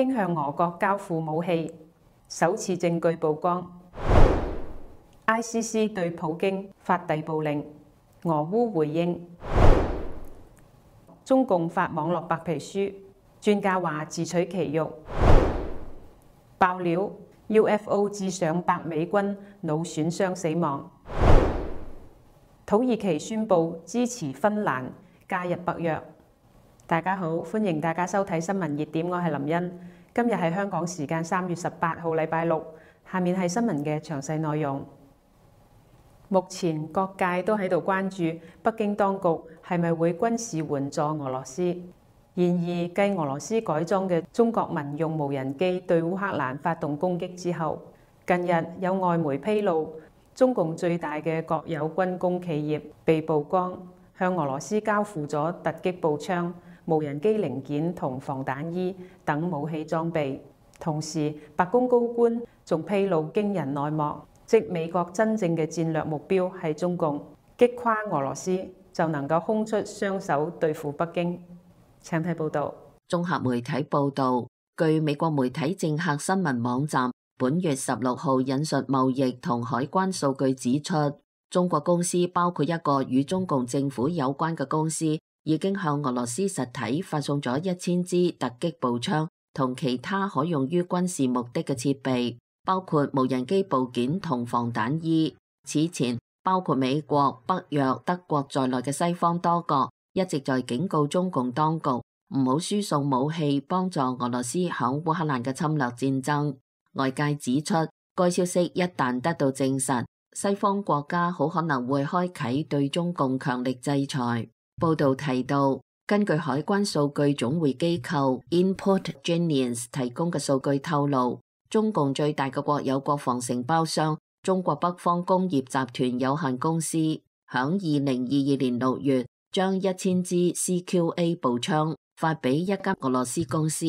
京向俄國交付武器，首次證據曝光。ICC 對普京發逮捕令，俄烏回應。中共發網絡白皮書，專家話自取其辱。爆料 UFO 致上百美軍腦損傷死亡。土耳其宣布支持芬蘭加入北約。大家好，歡迎大家收睇新聞熱點，我係林茵。今日係香港時間3月18號禮拜六，下面係新聞嘅詳細內容。目前各界都喺度關注北京當局係咪會軍事援助俄羅斯。然而，繼俄羅斯改裝嘅中國民用無人機對烏克蘭發動攻擊之後，近日有外媒披露，中共最大嘅國有軍工企業被曝光向俄羅斯交付咗突擊步槍、無人機零件同防彈衣等武器裝備。同時，白宮高官仲披露驚人內幕。即美國真正嘅戰略目標係中共，擊垮俄羅斯就能夠空出雙手對付北京。請睇報導。綜合媒體報導，據美國媒體政客新聞網站本月16號引述貿易同海關數據指出，中國公司包括一個與中共政府有關嘅公司，已經向俄羅斯實體發送咗1000支突擊步槍同其他可用於軍事目的嘅設備，包括無人機部件同防彈衣。此前，包括美國、北約、德國在內嘅西方多國一直在警告中共當局唔好輸送武器幫助俄羅斯響烏克蘭嘅侵略戰爭。外界指出，該消息一旦得到證實，西方國家好可能會開啟對中共強力制裁。報道提到，根據海關數據總會機構 Input-Genius 提供嘅數據透露，中共最大嘅國有國防承包商中國北方工業集團有限公司，響2022年6月將1000支 CQA 步槍發俾一家俄羅斯公司。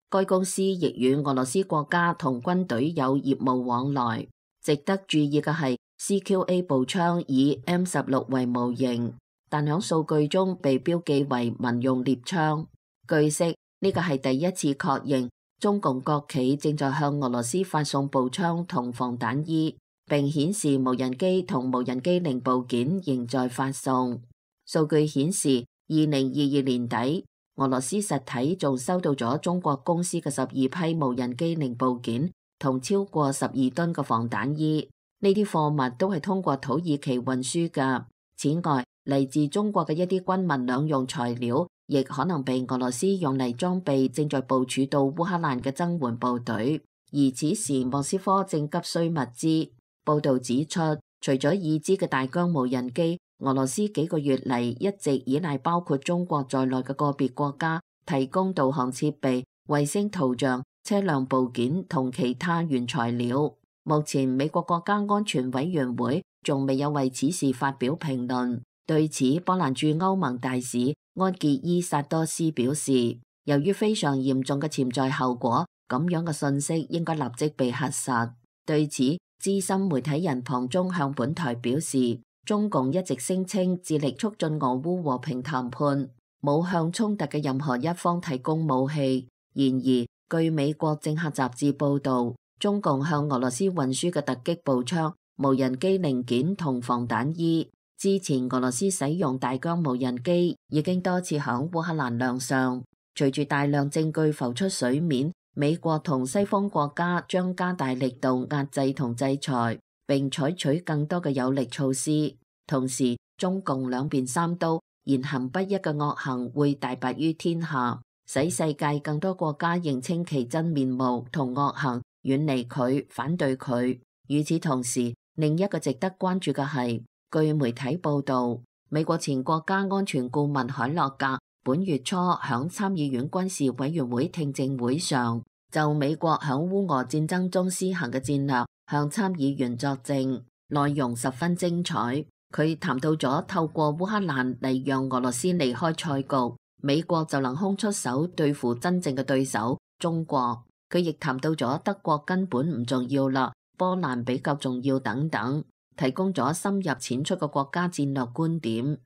該公司亦與俄羅斯國家同軍隊有業務往來。值得注意嘅係 ，CQA 步槍以 M16為模型，但響數據中被標記為民用獵槍。據悉，呢個係第一次確認中共國企正在向俄羅斯發送步槍同防彈衣，並顯示無人機同無人機零部件仍在發送。數據顯示，2022年底，俄羅斯實體仲收到咗中國公司嘅12批無人機零部件同超過12噸嘅防彈衣，呢啲貨物都係通過土耳其運輸㗎。此外，嚟自中國嘅一啲軍民兩用材料，亦可能被俄羅斯用嚟裝備正在部署到烏克蘭嘅增援部隊，而此時莫斯科正急需物資。報道指出，除咗已知嘅大疆無人機，俄羅斯幾個月嚟一直依賴包括中國在內嘅個別國家提供導航設備、衛星圖像、車輛部件同其他原材料。目前美國國家安全委員會仲未有為此事發表評論。對此，波蘭駐歐盟大使安傑伊薩多斯表示，由於非常嚴重嘅潛在後果，咁樣嘅信息應該立即被核實。對此，資深媒體人龐中向本台表示，中共一直聲稱致力促進俄烏和平談判，冇向衝突嘅任何一方提供武器。然而，據美國政客雜誌報導，中共向俄羅斯運輸嘅突擊步槍、無人機零件同防彈衣。之前俄羅斯使用大疆無人機已經多次響烏克蘭亮相。隨住大量證據浮出水面，美國同西方國家將加大力度壓制同制裁，並採取更多嘅有力措施。同時，中共兩邊三刀、言行不一嘅惡行會大白於天下，使世界更多國家認清其真面目同惡行，遠離佢，反對佢。與此同時，另一個值得關注嘅係，據媒體報道，美國前國家安全顧問海洛格本月初響參議院軍事委員會聽證會上，就美國響烏俄戰爭中施行嘅戰略向參議員作證，內容十分精彩。佢談到咗透過烏克蘭嚟讓俄羅斯離開賽局，美國就能空出手對付真正嘅對手中國。佢亦談到咗德國根本唔重要啦，波蘭比較重要等等，提供咗深入淺出嘅國家戰略觀點。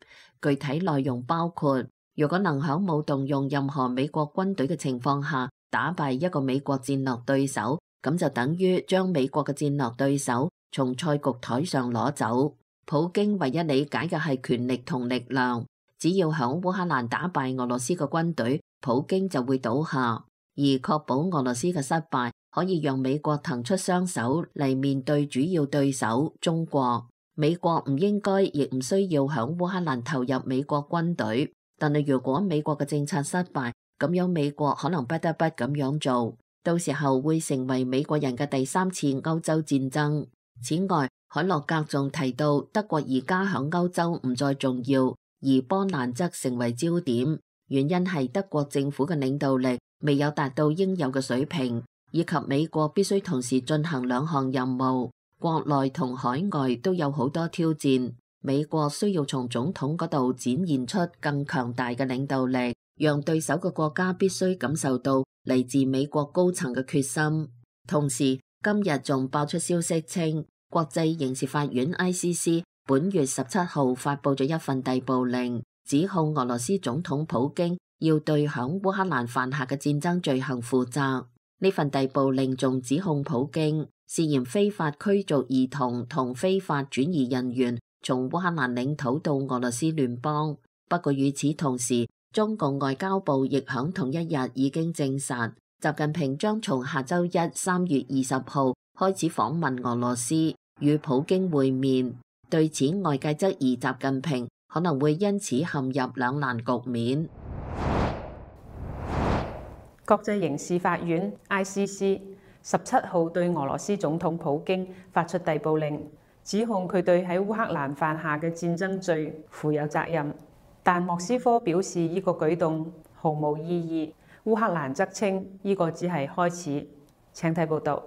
具體內容包括，如果能響冇動用任何美國軍隊嘅情況下打敗一個美國戰略對手，咁就等於將美國嘅戰略對手從賽局台上攞走。普京唯一理解嘅係權力同力量，只要響烏克蘭打敗俄羅斯嘅軍隊，普京就會倒下。而確保俄羅斯嘅失敗，可以讓美國騰出雙手嚟面對主要對手中國。美國唔應該亦唔需要響烏克蘭投入美國軍隊，但係如果美國嘅政策失敗，咁樣美國可能不得不咁樣做，到時候會成為美國人嘅第三次歐洲戰爭。此外，海洛格仲提到德國而家響歐洲唔再重要，而波蘭則成為焦點，原因係德國政府嘅領導力未有達到應有嘅水平，以及美國必須同時進行兩項任務，國內同海外都有好多挑戰。美國需要從總統嗰度展現出更強大嘅領導力，讓對手嘅國家必須感受到嚟自美國高層嘅決心。同時，今日仲爆出消息稱，國際刑事法院 ICC 本月17號發佈咗一份逮捕令，指控俄羅斯總統普京要對響烏克蘭犯下嘅戰爭罪行負責。呢份逮捕令仲指控普京涉嫌非法驅逐兒童同非法轉移人員從烏克蘭領土到俄羅斯聯邦。不過與此同時，中共外交部亦響同一日已經證實，習近平將從下周一3月20號開始訪問俄羅斯，與普京會面。對此，外界質疑習近平可能會因此陷入兩難局面。國際刑事法院 ICC 17號對俄羅斯總統普京發出逮捕令，指控佢對喺烏克蘭犯下嘅戰爭罪負有責任。但莫斯科表示呢個舉動毫無意義，烏克蘭則稱呢個只係開始。請睇報道。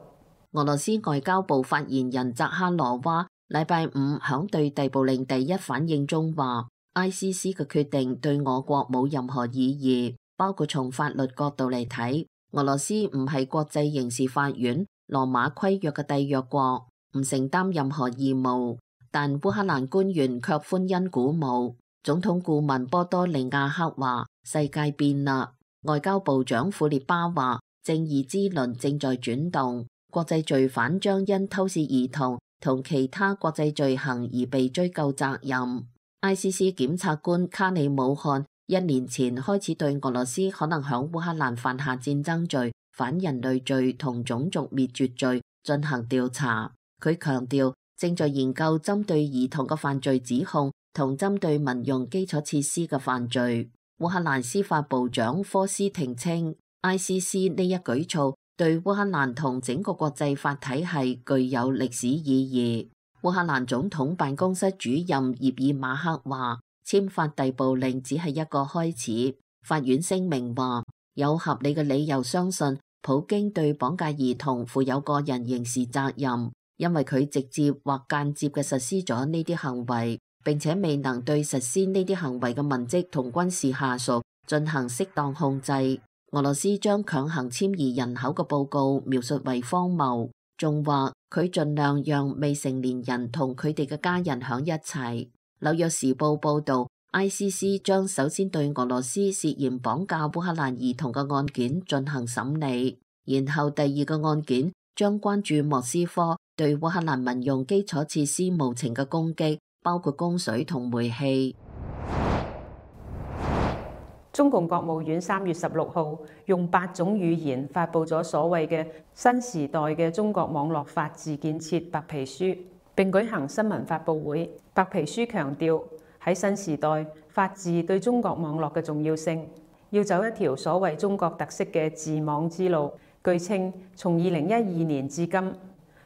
俄羅斯外交部發言人扎哈羅娃禮拜五響對逮捕令第一反應中話，ICC 嘅決定對我國冇任何意義，包括從法律角度嚟睇，俄羅斯唔係國際刑事法院羅馬規約嘅締約國，唔承擔任何義務。但烏克蘭官員卻歡欣鼓舞。總統顧問波多利亞克話：世界變啦。外交部長庫列巴話：正義之輪正在轉動，國際罪犯將因偷竊兒童同其他國際罪行而被追究責任。ICC 檢察官卡里姆漢1年前開始對俄羅斯可能響烏克蘭犯下戰爭罪、反人類罪同種族滅絕罪進行調查。佢強調正在研究針對兒童嘅犯罪指控同針對民用基礎設施嘅犯罪。烏克蘭司法部長科斯廷稱 ，ICC 呢一舉措對烏克蘭同整個國際法體系具有歷史意義。烏克蘭總統辦公室主任葉爾馬克話：簽發逮捕令只係一個開始。法院聲明話，有合理嘅理由相信普京對綁架兒童負有個人刑事責任，因為佢直接或間接嘅實施咗呢啲行為。並且未能對實施呢啲行為嘅文職同軍事下屬進行適當控制。俄羅斯將強行遷移人口嘅報告描述為荒謬，仲話佢盡量讓未成年人同佢哋嘅家人響一齊。紐約時報報導 ，ICC 將首先對俄羅斯涉嫌綁架烏克蘭兒童嘅案件進行審理，然後第二個案件將關注莫斯科對烏克蘭民用基礎設施無情嘅攻擊，包括供水同煤氣。中共國務院3月16號用8種語言發布咗所謂嘅新時代嘅中國網絡法治建設白皮書，並舉行新聞發佈會。白皮書強調喺新時代，法治對中國網絡嘅重要性，要走一條所謂中國特色嘅治網之路。據稱，從2012年至今，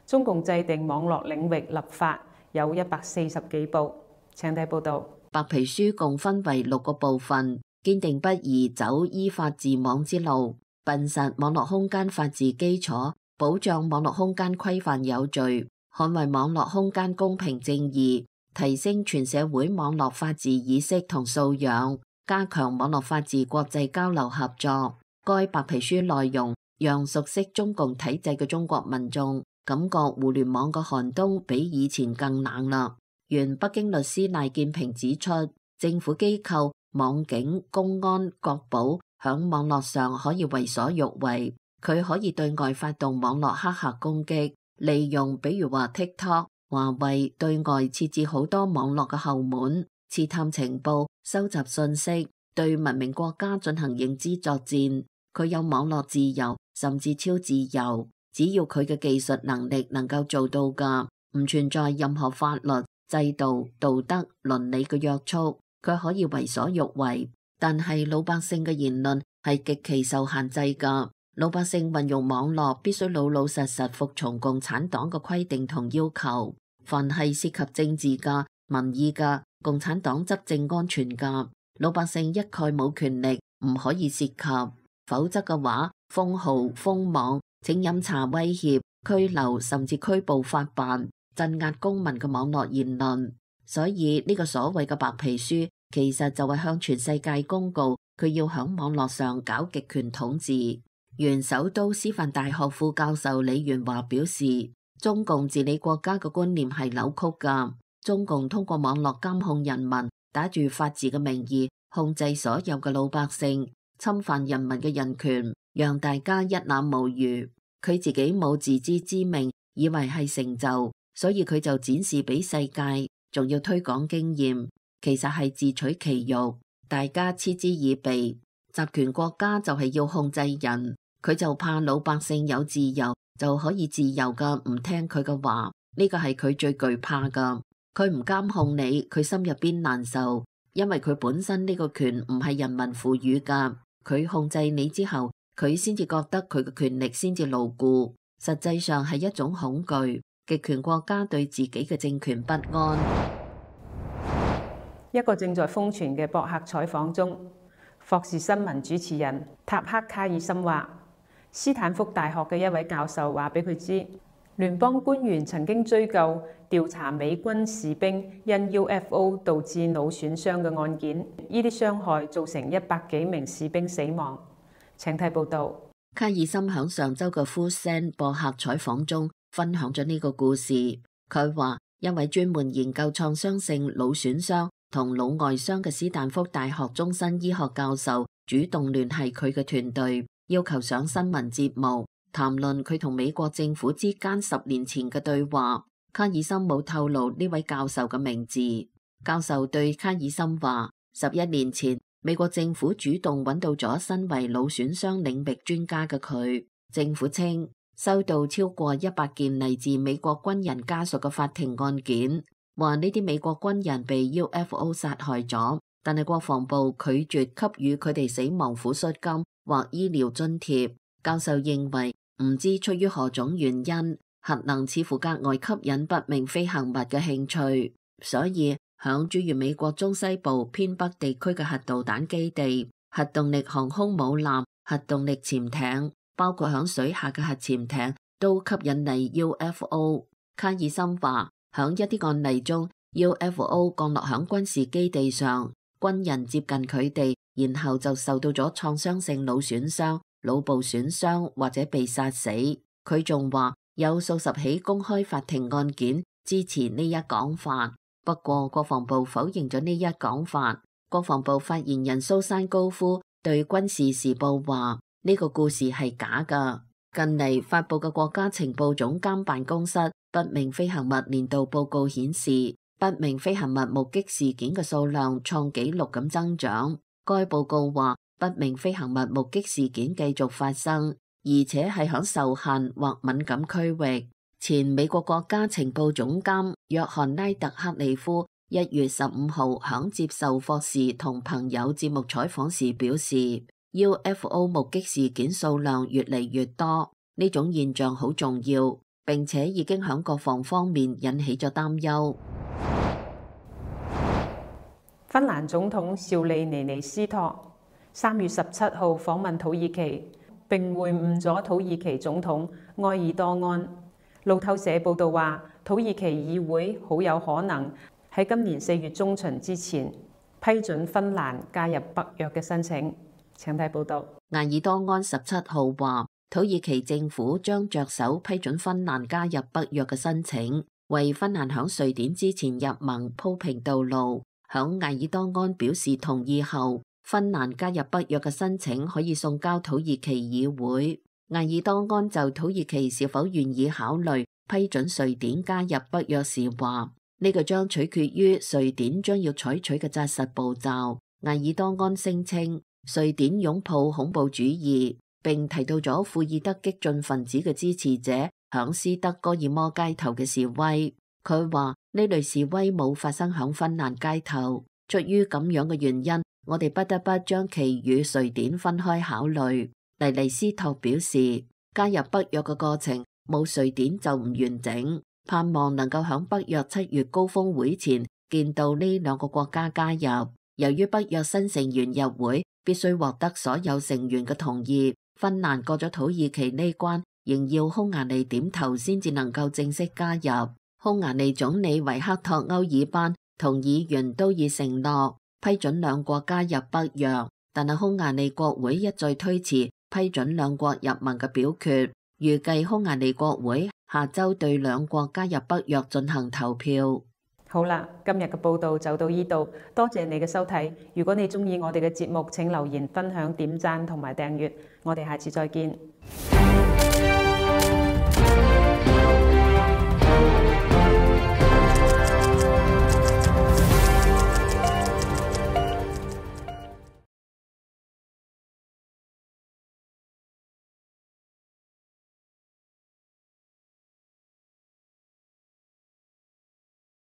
中共制定網絡領域立法有140幾部。請睇報道。白皮書共分為6個部分，堅定不移走依法治網之路，秉實網絡空間法治基礎，保障網絡空間規範有序，捍衛網絡空間公平正義，提升全社會網絡法治意識同素養，加強網絡法治國際交流合作。該白皮書內容讓熟悉中共體制嘅中國民眾感覺互聯網嘅寒冬比以前更冷啦。原北京律師賴建平指出，政府機構、網警、公安、國保響網絡上可以為所欲為，佢可以對外發動網絡黑客攻擊，利用比如話 TikTok、華為對外設置好多網絡嘅後門，刺探情報、收集信息，對文明國家進行認知作戰。佢有網絡自由，甚至超自由，只要佢嘅技術能力能夠做到㗎，唔存在任何法律、制度、道德、倫理嘅約束，佢可以為所欲為。但係老百姓嘅言論係極其受限制㗎，老百姓運用網絡必須老老實實服從共產黨嘅規定同要求。凡係涉及政治㗎、民意㗎、共產黨執政安全㗎，老百姓一概冇權力，唔可以涉及。否則嘅話，封號、封網、請飲茶、威脅、拘留甚至拘捕法辦，鎮壓公民嘅網絡言論。所以呢個所謂嘅白皮書，其實就係向全世界公告佢要響網絡上搞極權統治。原首都師範大學副教授李元華表示，中共治理國家嘅觀念係扭曲㗎。中共通過網絡監控人民，打住法治嘅名義控制所有嘅老百姓，侵犯人民嘅人權，讓大家一覽無餘。佢自己冇自知之明，以為係成就，所以佢就展示俾世界，仲要推廣經驗。其實係自取其辱，大家嗤之以鼻。集權國家就係要控制人，佢就怕老百姓有自由就可以自由噶唔聽佢嘅話，呢個係佢最懼怕噶。佢唔監控你，佢心入邊難受，因為佢本身呢個權唔係人民賦予噶，佢控制你之後，佢先至覺得佢嘅權力先至牢固，實際上係一種恐懼。極權國家對自己嘅政權不安。一個正在瘋傳嘅博客採訪中，霍士新聞主持人塔克卡爾森話，斯坦福大學嘅一位教授話俾佢知，聯邦官員曾經追究調查美軍士兵因 UFO 導致腦損傷嘅案件，呢啲傷害造成100幾名士兵死亡。請睇報導。卡爾森響上週嘅 Full Send 博客採訪中分享咗呢個故事。佢話，一位專門研究創傷性腦損傷同腦外傷嘅斯坦福大學終身醫學教授主動聯繫佢嘅團隊，要求上新聞節目談論佢同美國政府之間10年前嘅對話。卡爾森冇透露呢位教授嘅名字。教授對卡爾森話，11年前美國政府主動揾到咗身為腦損傷領域專家嘅佢。政府稱收到超過100件嚟自美國軍人家屬嘅法庭案件，話呢啲美國軍人被 UFO 殺害咗，但係國防部拒絕給予佢哋死亡撫恤金或醫療津貼。教授認為，唔知出於何種原因，核能似乎格外吸引不明飛行物嘅興趣，所以響諸如美國中西部偏北地區嘅核導彈基地、核動力航空母艦、核動力潛艇，包括響水下嘅核潛艇，都吸引嚟 UFO。卡爾森話，響一啲案例中 ，UFO 降落響軍事基地上，軍人接近佢哋，然後就受到咗創傷性腦損傷、腦部損傷或者被殺死。佢仲話有數十起公開法庭案件支持呢一講法，不過國防部否認咗呢一講法。國防部發言人蘇珊高夫對軍事時報話，呢個故事係假㗎。近嚟發佈嘅國家情報總監辦公室不明飛行物年度報告顯示，不明飛行物目擊事件嘅數量創紀錄咁增長。該報告話，不明飛行物目擊事件繼續發生，而且係響受限或敏感區域。前美國國家情報總監約翰拉特克里夫1月15號響接受霍士同朋友節目採訪時表示，UFO 目擊事件數量越嚟越多，呢種現象好重要，並且已經響國防方面引起咗擔憂。芬蘭總統紹利尼尼斯托3月17號訪問土耳其，並會晤咗土耳其總統埃爾多安。路透社報道話，土耳其議會好有可能喺今年4月中旬之前批准芬蘭加入北約嘅申請。請睇報道。埃爾多安17號話，土耳其政府將着手批准芬蘭加入北約嘅申請，為芬蘭響瑞典之前入盟鋪平道路。響埃爾多安表示同意後，芬蘭加入北約嘅申請可以送交土耳其議會。埃爾多安就土耳其是否願意考慮批准瑞典加入北約時話，呢個將取決於瑞典將要採取嘅紮實步驟。埃爾多安聲稱瑞典擁抱恐怖主義，並提到咗庫爾德激進分子嘅支持者響斯德哥爾摩街頭嘅示威。佢話呢類示威冇發生響芬蘭街頭，出於咁樣嘅原因，我哋不得不將其與瑞典分開考慮。尼尼斯托表示，加入北約嘅過程冇瑞典就唔完整，盼望能夠響北約7月高峰會前見到呢兩個國家加入。由於北約新成員入會必須獲得所有成員嘅同意，芬蘭過咗土耳其呢關，仍要匈牙利點頭先至能夠正式加入。匈牙利總理維克托歐爾班同議員都已承諾批准兩國加入北約，但係匈牙利國會一再推遲批准兩國入盟嘅表決，預計匈牙利國會下周對兩國加入北約進行投票。好啦，今日嘅報道就到呢度，多謝你嘅收睇。如果你中意我哋嘅節目，請留言、分享、點讚同埋訂閱。我哋下次再見。